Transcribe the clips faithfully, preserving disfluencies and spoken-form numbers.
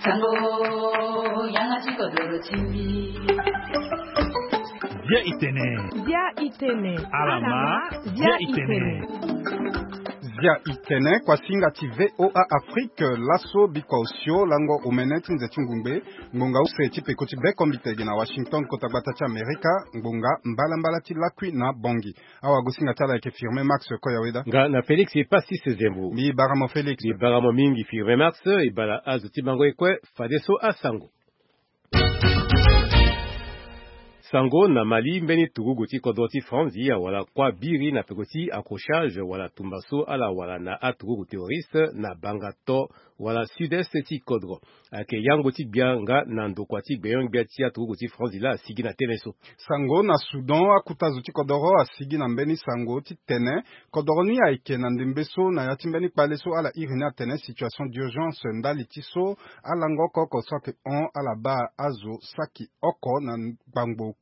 Sango, yanga ti kodoro ti mbi. Bia itene. Bia itene. Alama. Bia itene. Bia itene, kuasinga ti V O A Afrique, laso bikua osio lango omene ti nze ti ngungbe, ngbonga use ti peko ti bekombite gi na Washington, kota gbata ti Amerika, ngbonga mbalambala ti lakui na Bangui. Awagosinga ti ala ayeke Firmin Max Koyaweda. Nga na Félix Passis Zembo. Mbi bara mo Félix. Mbi bara mo mingi Firmin Max, e bara azo ti bango ye kue, fadeso asango. Sango na Mali, mbeni turugu ti kodro ti Franzi awara kuâ biri na peko ti accrochage wala tumba so ala wara na aturugu terroriste na banga to wala sud-est ti kodro. Ayeke yango ti gbia nga na ndokua ti gbenyo-gbia ti aturugu ti Franzi laa asigi na tënë so. Sango na Soudan, akuta zo ti kodoro asigi na mbeni sango ti tene kodoro ni ayeke na ndembe so na ya ti mbeni kpale so ala iri ni atene situation d'urgence ndali ti so alango oko oko so ayeke hon ala baa azo saki oko na ngbangbo oku.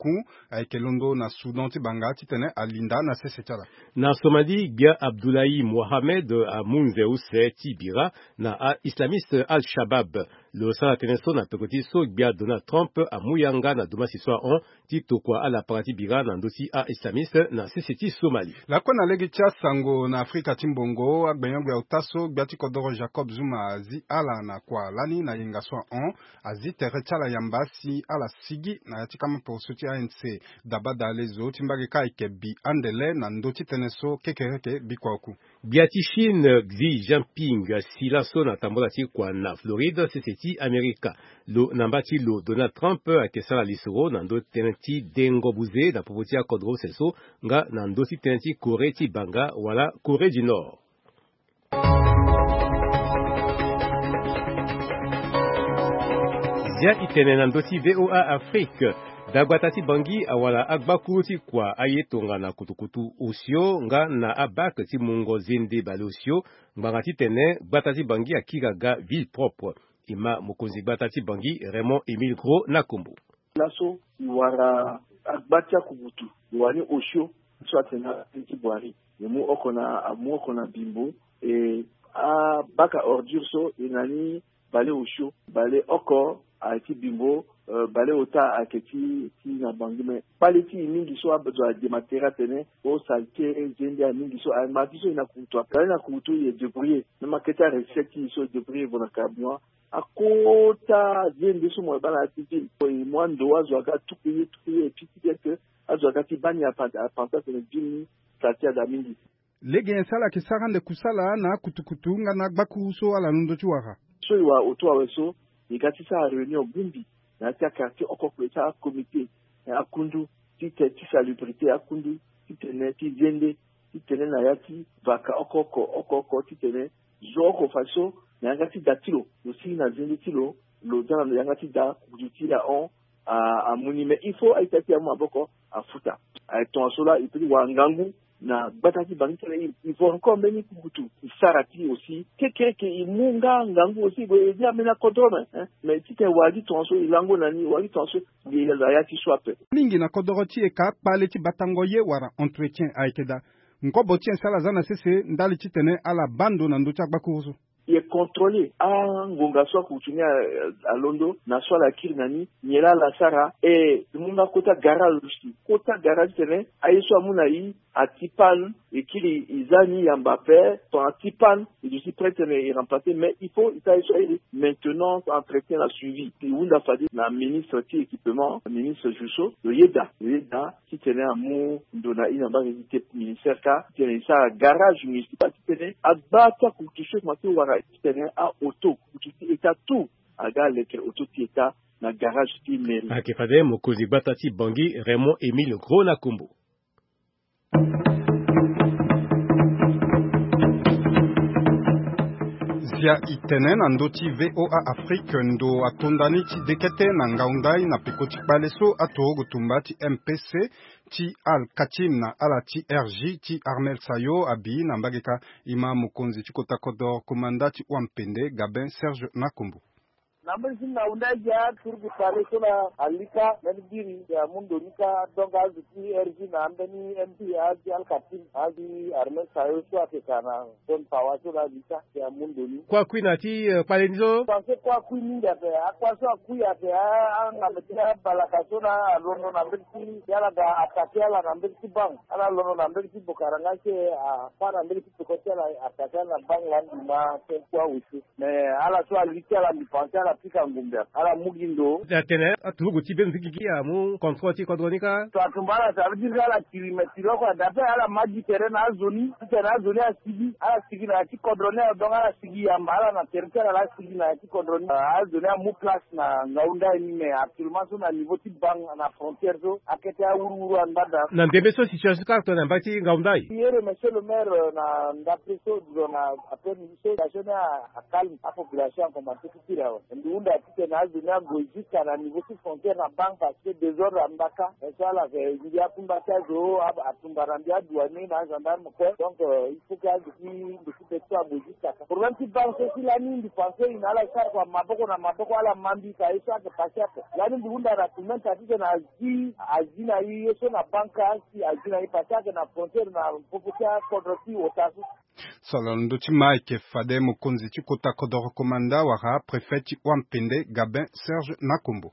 Ayeke londo na Soudan ti banga titene alinda na sese ti ala. Na Somalie, gbia Abdoulaye Mohamed amu nze use ti bira na a-islamiste Al-Shabab. Lo sara tënë so na peko ti so gbia Donald Trump amu yanga na domasi so ahon ti tokua alapara ti bira na ndö ti a-islamiste na sese ti Somalie. Lakue na lege ti asango na Afrika ti mbongo, agbenyo-gbia ota so gbia ti kodoro Jacob Zuma azi ala na kua lani na yenga so ahon, azi tere ti ala yamba si ala sigi na ya ti kama poroso ti A N C. Dabada lezo ti mbage kâ ayeke bi andele na ndö ti tënë so kekereke bikua oku. Gbia ti Chine Xi Jinping asi laso na tambola ti kua na Floride, sese ti Amerika. Lo na mba ti lo Donald Trump ayeke sara lisoro na ndö ti tënë ti dengo buze na popo ti akodro use so nga na ndö ti tënë ti Corée ti banga wala Corée du Nord. Zia itene na ndö ti V O A Afrique. Dagbata ti Bangui awara agbakuru ti kua aye tongana kutukutu osio nga na abak ti mungo zende baleosio. Ngbanga titene gbata ti Bangui akiri aga ville propre. E ma mokonzi gbata ti Bangui Raymond Émile Gros na kombo. Laso e wara agba ti akubutu, e wara ni osio so atene na tënë ti Boirie. E mu oko na, amu oko na bimbo, e abaka ordure so e na ni baleosio, baleoko ayeke ti bimbo, eh, baleota ayeke ti, ti na Bangui. Me kpale ti e mingi so azo adema tere atene o salite zende aye mingi so aye ma ti so e na kurutu ape. Aye na kurutu e débrouiller. Même akete arecette ti e so e débrouiller vo na carburant. Akota zende so mo yeke baa na ya ti ville. E mu ando azo aga tuku ye, tuku ye, e piki bien que azo aga ti baa ni apan-, apanza atene ville ni salite ada mingi. Lege nyen so ala yeke sara ande kusala na akutukutu nga na agbakuru so ala londo ti wara? So e wara auto awe so, e ga ti sara réunion bungbi na ya ti aquartier oko oko, e sara comité, eh, akundu ti te, ti salubrité akundu, titene ti zende, titene na ya ti vaka oko oko, oko oko, titene zo oko fa so na yanga ti da ti lo, lo sigi na zende ti lo, lo za na yanga ti da, kutu ti ahon, a, amu ni. Mais il faut a-ita ti e amu maboko afuta. Aye tongaso laa e peut ti wara ngangu na gbata ti Bangui titene e, e vo encore mbeni kukutu e sara ti e aussi. Kekereke e mu nga ngangu aussi, e gue e zi ambeni akodoro me, hein. Mais titene wara gi tongaso e lango na ni, wara gi tongaso e na ya ti so ape. Mingi na kodoro ti e ka kpale ti batango ye wala entretien ayeke daa. Nkobo ti e so ala za na sese ndali titene ala baa ndo na ndö ti agbakuru so. E contrôler angonga so akurutu ni a, alondo, na so ala kiri na ni, nyen laa ala sara. E mu nga kota garage aussi, kota garage titene aye so amu na e ati panne, e kiri e za ni yamba ape, tongana ati panne e duti prêt titene e remplacer. Mais il faut e sara ye so airi maintenance, entretien na suivi. E hunda fade na ministre ti équipement, ministre Jusso, lo yeda, lo yeda titene amu ndo na e na mbage ti te ministère kâ, titene e sara garage municipal, titene agba ti akurutu so e komanse ti wara, titene a-auto, kurutu ti État tout aga aleke auto ti État na garage ti mairie. Ayeke fade mokonzi gbata ti Bangui Raymond Émile Gros na kombo. Zia itene na ndö ti V O A Afrique, ndo atonda ni ti dekete na ngau ndai na peko ti kpale so atorogo tumba ti M P C ti Al Katim na ala ti R J ti Armel Sayo abi na mbage kâ. E ma mokonzi ti kota kodoro komanda ti Wampende Gabin Serge na kombo. Na mbeni ti ngaunda agi aturugu tale so la alika mbeni biri si amu ndo ni kâ. Donc azo ti R G na ambeni M P azi alkatim azi armée sayo so ayeke ka na zone pawa so la alika si amu ndo ni. Kue akui na ya ti kpale ni so. Pense kue akui mingi ape. Akua so akui ape. Angambe ti abalaka so la alondo na mbeni ti ala ga atake ala na mbeni ti bank ala londo na mbeni ti bokaranga si apa na mbeni ti peko ti ala atake ala na bank la ndima. Kue awe so. Mais ala so ali ti ala mbi pense ala pika ngumbe ape ala mu gi ndo. Atene aturugu ti beni ti gigi amu contrôle ti kodro ni kâ. So atumba ala, ça veut dire ala kiri mais kiri oko adape ala ma gi tere na azo ni ti tene azo ni asigi ala sigi na ya ti kodro ni awe. Donc ala sigi yamba ala na tere ti ala la asigi na ya ti kodro ni. Azo ni amu place na ngaunda ni mais actuellement so na niveau ti bank na frontière so akete awuruwuru angbada. Na ndembe so situation kâ tongana mbage ti ngaunda aye. Ye remercier le maire na ndape so dilo na ape ni so situation ni. Acalme apopulation akomanse ti kiri awe. Mbi hunda titene azo ni ague jusqu'à na niveau ti frontière na bank parce que désordre amba kâ. Mais so ala yeke ndia akumba ti azo atumba na ndia adouanier na agendarme kue. Donc il faut que azo ti ndo ti be ti so ague jusqu'à kâ. Problème ti bank so si lani mbi pense e na ala sara kua maboko na maboko ala ma mbi ka ye so ayeke passe ape. Lani mbi hunda na tumenta titene azi azi na ye ye so na bank kâ si azi na ye passe ayeke na frontière na popo ti akodro ti ota so. So ala londo ti ma ayeke fade mokonzi ti kota kodoro komanda wala préfet ti wampende Gabin Serge Nakombo.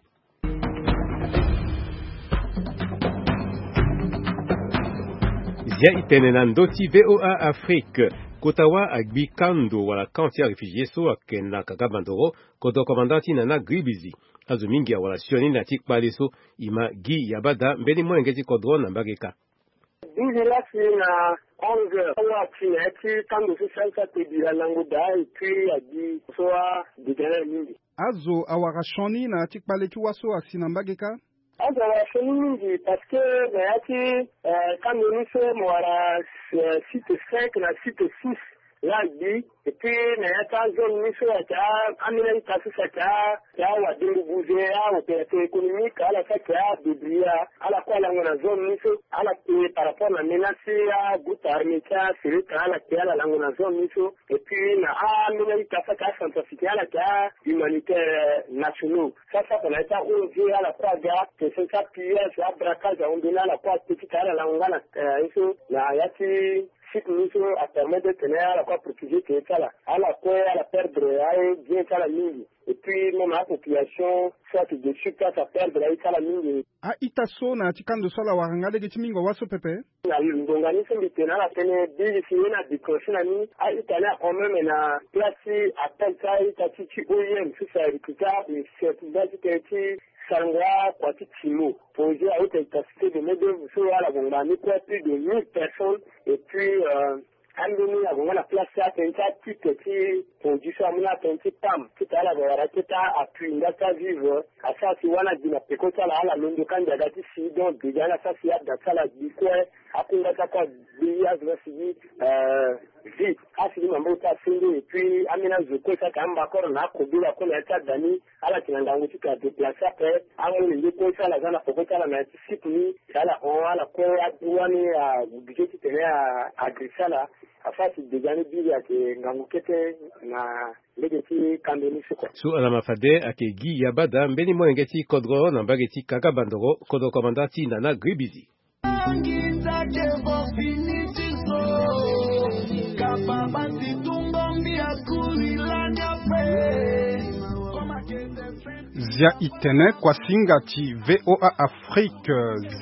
Zia itene na ndö ti VOA Afrique. Kota wâ agbi kando wala camp ti aréfugié so ayeke na kaka bandoro. Kodro komanda ti nana gribizi. Azo mingi awara sioni na ti kpale so. E ma gi yabada mbeni molenge ti kodro na mbage kâ. Douze heures si na onze heures. Awa asi na ya ti kando so sali so ate bira lango daa et puis abi so adega na mingi. Azo awara sioni na ya ti kpale ti wâ so asi na mbage kâ. Azo awara sioni mingi parce que na ya ti kando ni so mo wara site cinq na site six. Laa gbi. Et puis na ya ti azone ni so ayeke ambeni ayita so si ayeke awadengo buze aopérateur économique ala so ayeke adébrouiller ala kue alango na zone ni so. Ala ke par rapport na menace ti agroupe armé ti asereta ala ke ala lango na zone ni so. Et puis na ambeni ayita so ayeke acentrafricain ala yeke ahumanitaire nationaux. Sasa kua na ya ti a-ong ala kue aga question ti apillage abraquage ahon mbeni ala kue ake ti ka ala lango nga na ye so na ya ti site ni so apermettre tene ala kue aprotéger tene ti ala ala kue ala perdre aye bien ti ala mingi. Et puis même apopulation so ayeke de sur place aperdre aye ti ala mingi. A-ita so na ya ti kando so ala wara nga lege ti mingo wâ so pepe. Na ngonga ni so mbi tene ala tënë biri si ye ni adéclencher na ni a-ita ni ahon même na place ti appel ti a-ita ti ti oim so si arecruter abe chef nga ti tënë ti sarango akua ti timo. Projet a haute efficacité de main d'œuvre so ala gue ngbanga ni kue plus de mille personnes. Et puis ambeni ague nga na place ti atënë ti atitre ti produit so amu na atënë ti pam ti tene ala gue wara akete appui nga ti avivre. Asara si wâ ni agi na peko ti ala ala londo ka njaga ti si donc déjà ni asara si ada ti ala gbi kue. Akunga ti akue agbi azo ni asigi vie asigi maboko ti asenge. Et puis ambeni azo kue so ayeke ambakoro na akobela kue na ya ti ada ni ala yeke na ngangu ti tene adéplacer ape. Amolenge kue so ala za na peko ti ala na ya ti site ni si ala hon ala kue aduwa ni agudu ti tene agressé ala. Afa si déjà ni biri ayeke ngangu kete na lege ti kando ni so kue. So ala ma fade ayeke gi yabada mbeni molenge ti kodro na mbage ti kaka bandoro kodro komanda ti nana gribizi. Zia itene kuasinga ti VOA Afrique.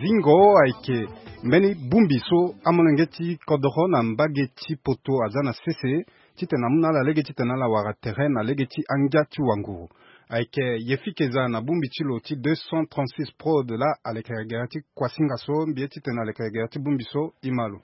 Zingo ayeke mbeni bongbi so amolenge ti kodoro na mbage ti poto aza na sese titene amu na ala lege titene ala wara tere na lege ti angia ti wanguru. Ayeke Yefi Keza na bongbi ti lo ti deux cent trente-six Prod laa aleke gere ti kuasinga so mbi ye titene aleke gere ti bongbi so e ma lo.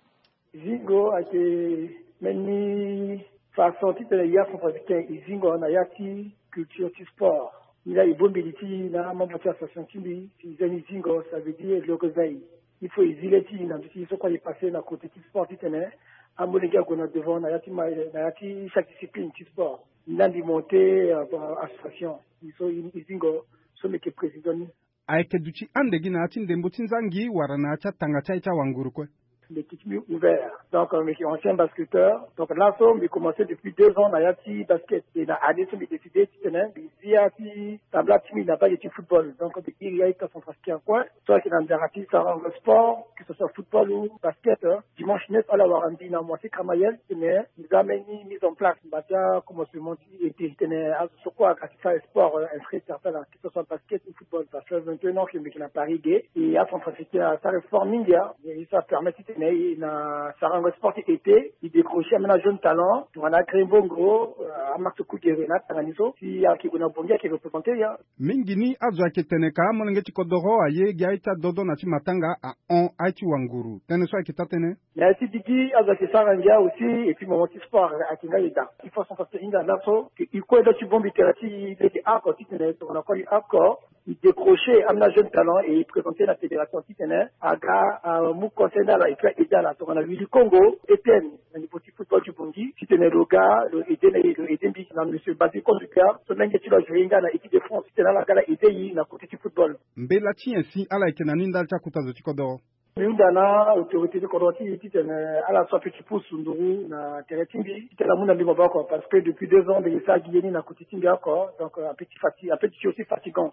Zingo ayeke mbeni façon titene ya centrafricain e zingo na ya ti culture ti sport. Ni laa e bongbi li ti na amembre ti association ti mbi si e za ni zingo ça veut dire le réveil. Il faut e zi le ti e na ndö ti ye so kue aye passé na côté ti sport titene amolenge ague na devant na ya ti ma na ya ti chaque discipline ti sport. Ni laa mbi monté association. So e zingo so mbi yeke président ni. Ayeke duti ande gi na ya ti ndembo ti nzangi wala na ya ti atanga ti aye ti awanguru kue? Mbi yeke ti mbi ouvert. Donc mbi yeke ancien basketteur. Donc laso mbi commence depuis deux ans na ya ti basket. Et na année so mbi décide titene mbi zi ya ti tabla ti mbi na mbage ti football. Donc mbi iri ya ti centrafricain coin so ayeke na nzara ti sarango sport, que ce soit football ou basket. Dimanche neuf ala wara mbi na mois ti Kamayel titene mbi za mbeni mise en place mba ti acommencement ti été titene azo so kue aga ti sara sport, inscrit certains là, que ce soit basket ou football, parce que vingt et un ans que mbi yeke na Paris ge. Et acentrafricain asara sport mingi. Ye so apermettre titene e na sarango sport ti été e décrocher ambeni ajeune talent tongana Green Bongo, amax Kugere na atanga ni so si ayeke gue na Bongi ayeke représenter ya. Mingi ni azo ayeke tene ka amolenge ti kodoro aye gi aye ti adodo na ti matanga ahon aye ti wanguru tënë so ayeke taa tënë. Mais si digi azo ayeke sara ngia aussi et puis moment ti sport ayeke nga eda. Il faut sensibiliser hinga laso que e kue ndo ti bongbi tere ti lege oko titene tongana koli oko e décrocher ambeni ajeune talent et e présenter na fédération titene aga amu conseil na ala et puis aide ala tongana Willy Kongo, Etienne, na niveau ti football ti Bongi titene lo ga lo aide na e lo aide mbi na monsieur Basil Konduka so menge ti lo ajoue nga na équipe de France titene ala ga ala aide e na côté ti football. Mbela ti nyen si ala yeke na ni ndali ti akuta zo ti kodoro? Mbi hunda na autorité ti kodro ti e titene ala so ape ti pusu nduru na tere ti mbi titene amu na mbi maboko parce que depuis deux ans mbi yeke sara gi ye ni na koti ti mbi oko. Donc ape ti fati ape ti aussi fatigant.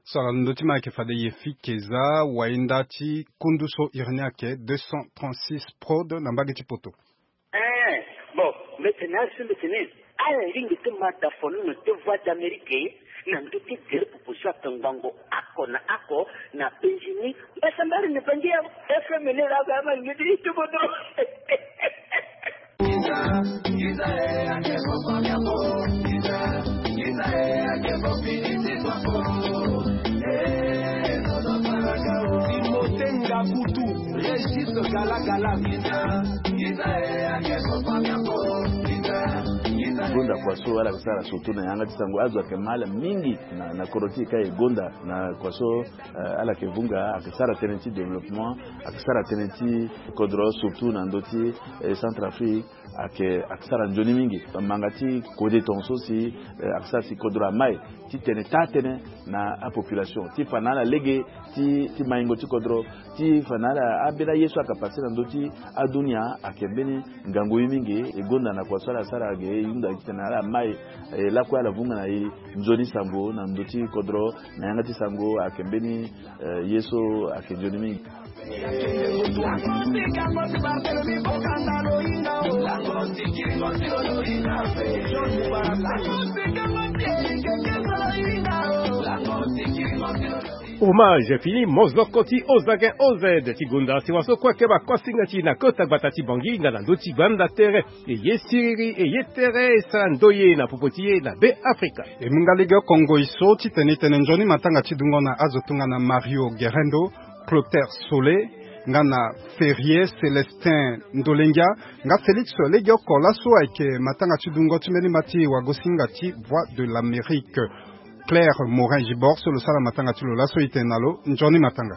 So ala londo ti ma ayeke fade ye fike za wainda ti kundu so iri ni ayeke deux cent trente-six prod na mbage ti poto. Eh, bon, mbetene asu mbetene ala lingbi ti ma da fono na deux voix d'Amérique na ndö ti gere popo so ayeke ngbongo oko na oko na penzi ni. Mbasambari ni bangi ya F M ni la ga ma ngedi ti bodo. Timote Ngakutu, Régis Gala Gala. Gonda kua so ala yeke sara surtout na yanga ti sango azo ayeke mal mingi na, na kodro ti e ka e gonda na kua so, eh, ala yeke vunga ayeke sara tënë ti développement, ayeke sara tënë ti kodro surtout na ndö ti, eh, Centrafrique. Ayeke, ayeke sara nzoni mingi. Manga ti kode tongaso si, eh, ayeke sara si kodro amai ti tene taa tënë na apopulation ti fa na ala lege ti, ti maingo ti kodro, ti fa na ala ambeni aye so ayeke passe na ndö ti adunia ayeke mbeni ngangu ye mingi. E gonda na kua so ala sara ge e hunda titene ala mai, eh, lakue ala vunga na e nzoni sango na ndö ti kodro na yanga ti sango ayeke mbeni, eh, ye so ayeke nzoni mingi. Hommage fini mozoko ti Ozagen O Z ti gonda si waso kue ayeke bakuasinga ti e na kota gbata ti Bangui nga na ndö ti gbanda tere. E ye siriri e ye tere e sara ndoye na popo ti e na Be Afrika. E mu nga legeoko ngoi so titene e tene nzoni matanga ti dungo na azo tongana Mario Guerrendo, Clotaire Sole, nga na Ferrier Célestin Ndolengia, nga Félix legeoko laso ayeke matanga ti dungo ti mbeni mba ti wagosinga ti Voix de l'Amérique. Claire Morin Gibor so lo sara matanga ti lo laso e tene na lo nzoni matanga.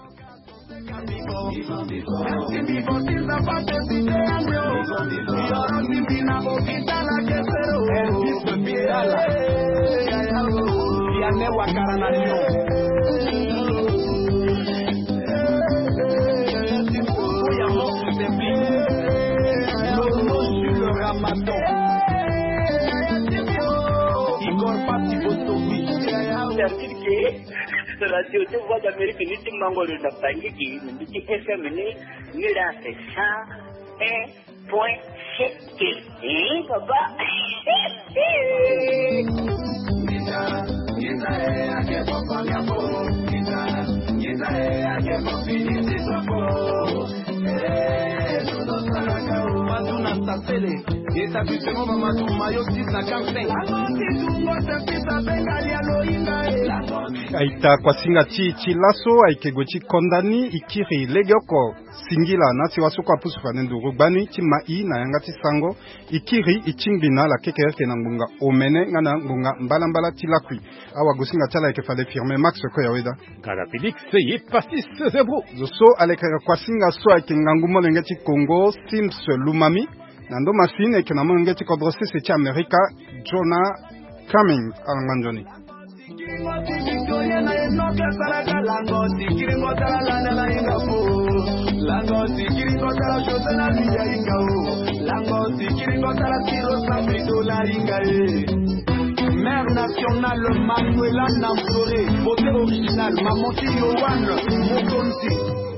Igor Pati Botovi. Radio ti Voix d'Amérique ni ti mango lo na Bangui gi na mbi ti F M ni, ni la c'est cent un point sept. Eh, papa. Établissement Mamadou Mayo six cent quarante-cinq. Aita kuasinga ti, ti laso ayeke gue ti konda ni, e kiri legeoko singila na si waso kue apusu fade nduru gbani ti ma i na yanga ti sango. E kiri e tingbi na ala kekereke na ngbonga omene nga na ngbonga mbalambala ti lakui. Awagosinga ti ala ayeke fade Firmin Max Koyaweda. Gala Félix ye Pastis Zebro. Zo so alekere kuasinga so ayeke ngangu molenge ti Congo, Sims Lumami. Na ndo masini eke na molenge ti kodro sese ti Amerika, Jonah Cummings. Alangba nzoni. Lango sikiri kotala José na Lidia Inga o. Lango sikiri kotala Siro Sabrito na Inga e. Mère nationale Manuela Namsore, beauté originale, maman ti Yohan Mokonzi.